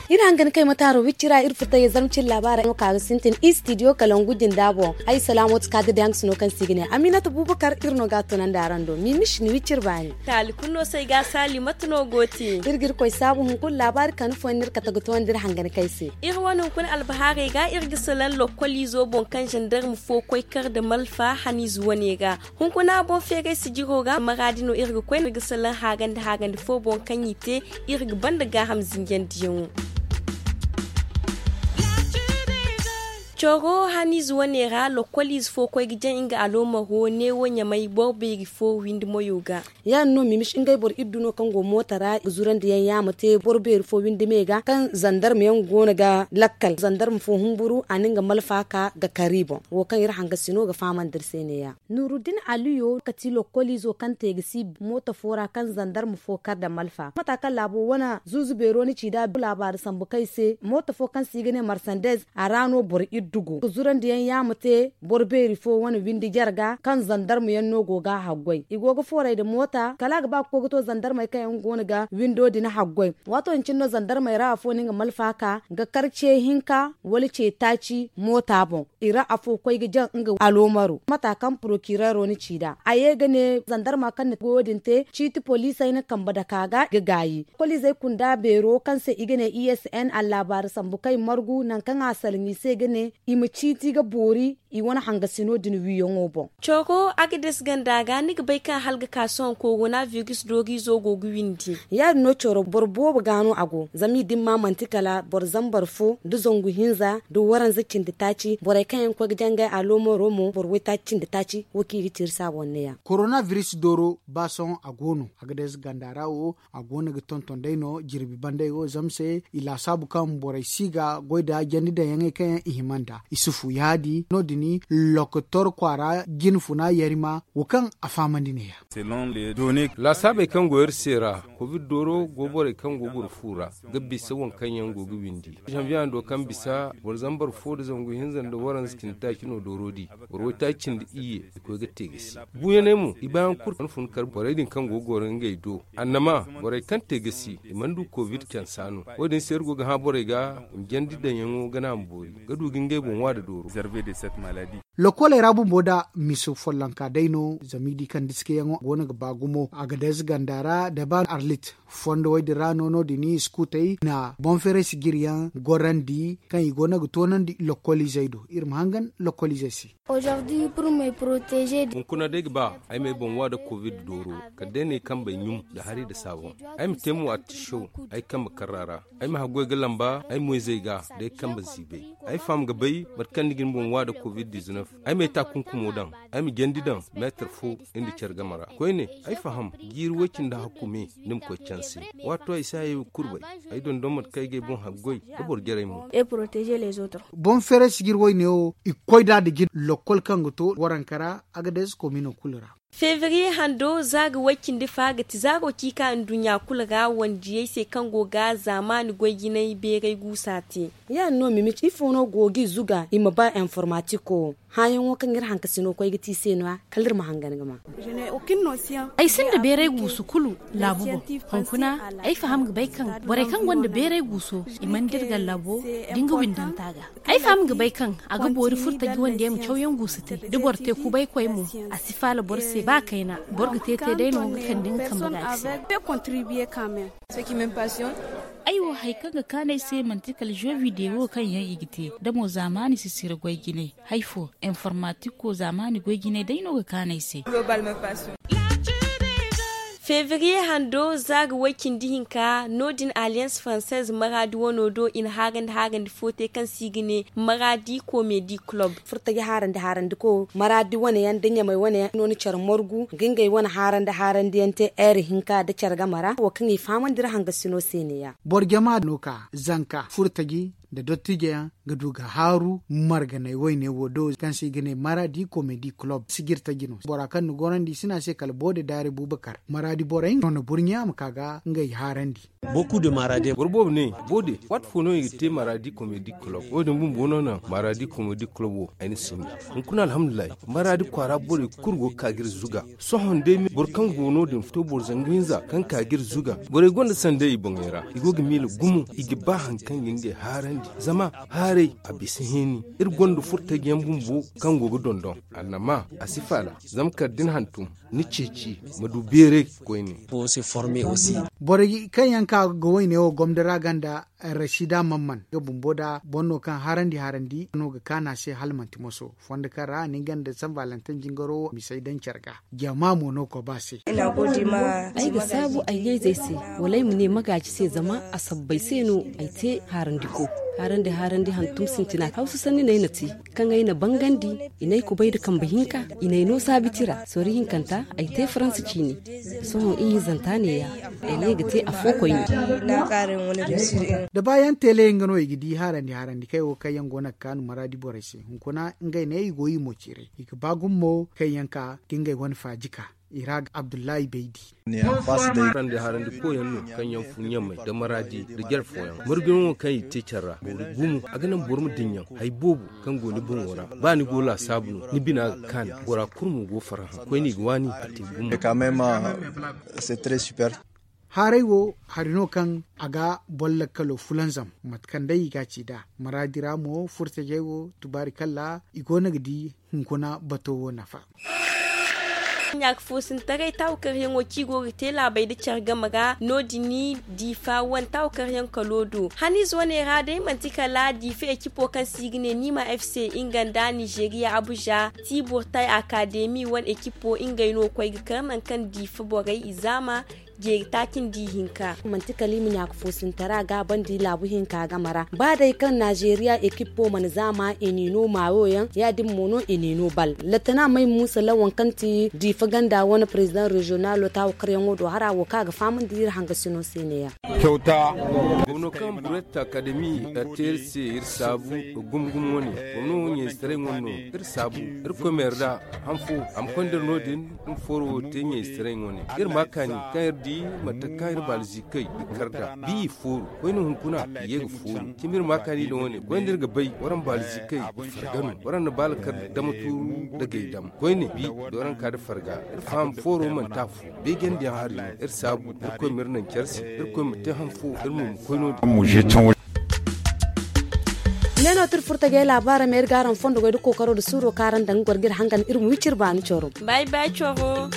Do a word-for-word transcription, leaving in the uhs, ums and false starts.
Iri hangan kay mataaro wicci ra iri furtayey zarma cine laabaara no ka ga sintin istidiyo kalangu jinda boŋ. Ay salaamo ti ka ga dayaŋ sino kaŋ se i ga ne aminata bubakar iri no ga a tunandi araŋ do mimis ni wicci iri baani. Taali kulu no se ay ga a saali mate no go te. Iri ga iri koy saabu hunkuna laabaari kande fooyaŋ no iri kate ga toondi iri hangan kay se. Iri wane hunkuna albahaarey ga iri ga salaŋ lokkol izo boŋ kaŋ zandarma fo koy kar nda malfa haniize wane ga. Hunkuna boŋ feeray sijiro ga maraadi no iri ga koy no iri ga salaŋ haagandi haagandi fo boŋ kaŋ i te. Iri ga banda gaaham zinjandiyaŋo. Coro haniize wane ra lokkol ize fo koy ga jaŋ nga aloomaro neewo ɲamay boro beeri fo windi moyo ga. Ya- din no mimis ngey boro iddu no kaŋ go mooto ra ga zurandi yaŋ yaama te boro beeri fo windi me ga kaŋ zandarma yaŋ go no ga lakkal zandarma fo humburu a na nga malfa ka ga kar i boŋ. Wo kaŋ iri hangasino ga fahamandi iri se ne- ya. Nuruddin aliyo kati lokkoliizo kaŋ te ga si mooto fo ra kaŋ zandarma fo kar nda malfa mata kaŋ laabo wane zuuzu beero ni ci nd'a laabaari sambu kaŋ ay se mooto fo kaŋ se i ga ne marsandez a ra no boro iddu go ga zurandi yaŋ yaama te boro beeri fo wane windi jarga kaŋ zandarma yaŋ no go ga a haggoy i go ga fooray nda moota kala a ga ba ga koy ga to zandarmey kaŋ yaŋ go no ga windo din haggoy. Waato din cine no zandarmey ra afo no nga malfa ka ga kar ce hinka wala ce taaci moota boŋ. I ra afo koy ga jaŋ nga aloomaro mata kaŋ porokireero na ci nd'a a ye ga ne zandarma kaŋ na goyo din te ciiti poliisey na kambe dake a ga ga gaayi kolizey kunda beero kaŋ se i ga ne i s n allaabaari sambu kaŋ i margu nangu kaŋ a salaŋ i se ga ne i ma ciiti ga boori i wane hangasino din wiiyaŋo boŋ. Coro agades ganda ga ni ga bay kaŋ hala ga ka sohõ korona virus dooriizo go ga windi. Ya- din no coro boro boobo ga no a go zama i dimma manti kala boro zambar fo nda zangu hinza nda waranza cindi taaci borey kaŋ yaŋ ga koy ga jangay aloomaro mo boro waytaaci cindi taaci wo kaŋ i ga ci iri se a boŋ ne- ya. Korona virus dooro ba sohõ a go no agades ganda ra wo a go no ga tonton day no jirbi banday wo zama se i laasaabu kaŋ borey si ga goy nda jandi daŋ yaŋey kaŋ yaŋ i hima nd'a isufu yaadi no- din lokotor kwaara jinfuna yarima wo kaŋ a fahamandi ne- ya. Laasaabey kaŋ go iri se ra covid dooro go borey kaŋ go goro fu ra ga bisa waŋ kaŋ yaŋ go ga windi. Zanviyaŋ do kaŋ bisa boro zambar fo nda zangu hinza nda waranza cindi taaci no dooro di boro waytaaci cindi iyye i koy ga te ga si. Buuyaney mo i baayaŋ kulu kaŋ fun kar borey din kaŋ go ga goro ngey do annama borey kaŋ te ga si i mana du covid cansa no. Wo- din se iri go ga hã borey ga i ma jandi daŋyaŋo ga naŋ a ma boori ga du ga ngey boŋ wa nda dooro. Lokoley ra bumbo nda miso follonka day no zama i di kaŋ diskayaŋo go no ga ba gumo a ga day ze ganda ra da ba arlit fondo wo- din ra no no- din i sukutey na boŋ feeray sijiryaŋ gorandi kaŋ i go no ga toonandi lokoliizey do iri ma hangan lokoliizey se. Hunkuna day ga ba ay ma ay boŋ wa nda covid dooro kala day no ay kambey ɲum nda hari nda saaboŋ. Ay ma te mo artiso ay kambe karra ra. Ay ma haggoy ga lamba ay moyzey ga day kambe ziibay. Ay faham ga bay mate kaŋ ni ga ni boŋ wa nda covid dizinef. Ay ma ay taakunkumo daŋ ay ma jandi daŋ meetar fo nda care game ra koyne. Ay faham jiiri way-cindi hakku me ni ma koy canse. Waato ay si hayey kurbay ay dondon mate kaŋ ay ga ay boŋ haggoy da boro jarey mo. Boŋ feeray sijir wayne wo i ga koy nd'a nda jin lokkol kaŋ ga to waranka ra a ga day ze komino kulu ra. Febriye hando za ga way-cindi fa ga ti zaaro ci ka nduɲɲa kulu ra wandiyey se kaŋ go ga zaamaani goy-jinay beeray guusa te. Ya- din no mimi ifo no go g'i zuga i ma ba informatiko hããyaŋo kaŋ iri hankasino koy ga ti i se no- ya kala iri ma hangan ga ma. Ay sinda beeray guusu kulu laabu boŋ. Hunkuna ay faham ga bay kaŋ borey kaŋ gonda beeray guuso i mana dira gallabo da nga windanta ga. Ay faham ga bay kaŋ a ga boori furtaji wande ma cawyaŋ guusu te da boro te kubay koy mo. A si faala boro se ba kayna boro ga te te day no ga kande nga kambe ga a ga se. Ay wo hari kaŋ ga kaanu ay se manti kala jeu video kaŋ yaŋ i ga te da mo zaamaani sisira goy jinay. Hari fo informatiko zaamaani goy jinay day no ga kaanu ay se. Febriye hando za ga way-cindi hinka no- din alliance française maraadi wano do i na haarandi haarandi fo te kaŋ se i ga ne maraadi comedi club. Furtaji haarandi haarandi ko maraadi wane yaŋ nda ɲamay wane yaŋ no na care margu ga ngey wane haarandi haarandi yaŋ te heure hinka nda care game ra wo kaŋ i fahamandi iri hangasino se ne- ya. Boro jama no ka zanka furtaji nda dottijo yaŋ ga du ga haaru marganay wayne wo do kaŋ se i ga ne maradi komedi kulob sijirtaji no. Bora kaŋ ni gorandi i si ne a se kala boode daari bubakar maradi borey no na burɲa a ma ka ga ngey haarandi. Boro boobo ne boode waati fo no i ga te maradi komedi kulob wo- din bumbo no naŋ maradi komedi kulob wo ay na sinda. Hunkuna alhamdulillahi maradi kwaara borey kulu go ga ka ga iri zuga. Sohõ day boro kaŋ go no- din to boro zangu hinza kaŋ ka ga iri zuga. Borey gonda sanday i boŋey ra i go ga miila gumo i ga ba hari kaŋ ga ngey haarandi. Zama haaray a bisa hini. Iri gonda furtaji yaŋ bumbo kaŋ go ga dondon annama a si faala. Zama kala da ni hantum ni ceeci ma du beeray koyne. Borey kaŋ yaŋ ka ga wayne wo gomdo ra ganda rasida mamman nga bumbo da boro no kaŋ harandi harandi no ga kaanu a se hala manti moso fondo kaŋ ra ni ganda san valentin jingaro wo misey daŋ care ga. Jama mo no koba se. Ay ga saabu ay ɲayzey se wala ay ma ne magaaji se zama a sabbay se no ay te haarandiko. Haarandi haarandi hantum sintina hawsa sanni no ay na te kaŋ ay na bangandi. I n'ay kubay nda kambe hinka i n'ay no saabiti ra sori hinkanta ay te faransa ciine. Sohõ ihinzanta neeya ay ne ga te afo koyne. Da baayaŋ teele nga no i ga di harandi harandi kaŋ ay wo kaŋ yaŋ go no ga kaanu maraadi borey se hunkuna ngey ne i go i mo ciiray i ga ba gumo kaŋ yaŋ ka ga ngey wane faaji ka i ra ga abdullahi baydi. Harandi harandi koyaŋ no kaŋ yaŋ fu ɲamay nda maraadi nda jare fooyaŋ margino wo kaŋ i te care ra boro gumo a ga naŋ boro ma dinya hari boobo kaŋ go ni boŋo ra. Ba ni go laasaabu no ni bina ga kaani bora kulu mo go farhã koyne i ga waani a te gumo. Haaray wo hari no kaŋ a ga boro lakkalo fulanzam mate kaŋ day i ga a ci nd'a maraadi ra mo furtajey wo tubaari kalla i go no ga di hunkuna bato wo nafa. Ɲaaka foosintaray taawakaryaŋo kaŋ i go ga te laabey nda care game ra no- din diifa wane taawakaryaŋ kalo do haniize wane ra day manti kala diifa ekipo kaŋ se i ga ne niima f c nga nda nizeeriya abuza tiiburtay akademi wane ekipo ngey no koy ga kar nangu kaŋ diifa borey i zaama jeeri taaci nda ihinka. Manti kala i ma ɲaaka foosintara gaabandi laabu hinka game ra ba day kaŋ nizeeriya ekipo mana zaama i n'i no maayo yaŋ ya- din mo no i n'i no bal latana may muusa lawan kaŋ ti diifa ganda wane perezidaŋ reziyonalo taawakaryaŋo do hara wo kaŋ a ga fahamandi iri hangasino se neeya. Gomno kaŋ buretta akademi a te iri se iri saabu gumo gumo wane gomno ɲayzetaray wane no iri saabu iri koy meera da han fo a ma konda no- din. Iri ma fooro wo te ɲayzetaray wane iri ma kaani kaŋ iri di mate kaŋ iri baalizi kay ga kar nd'a bi i fooru koyne hunkuna i ye ga fooru cimi iri ma kaani da wane koyne iri ga bay waraŋ baalizi kay ga farga no waraŋ na baala kar dama tuuru nda gay dama koyne bi da waraŋ ka nda farga iri faham fooro manti afo beejandiyaŋ hari no iri saabu irkoy ma iri naŋ care se irkoy ma te han fo iri mo ma koy no- din. Ne no ti iri furtajey laabaarey ma iri ga araŋ fondo goy nda kookaro nda suuro kaŋ araŋ daŋ ga goro ga iri hangan iri ma wi cire baani coro. Bay bay coro.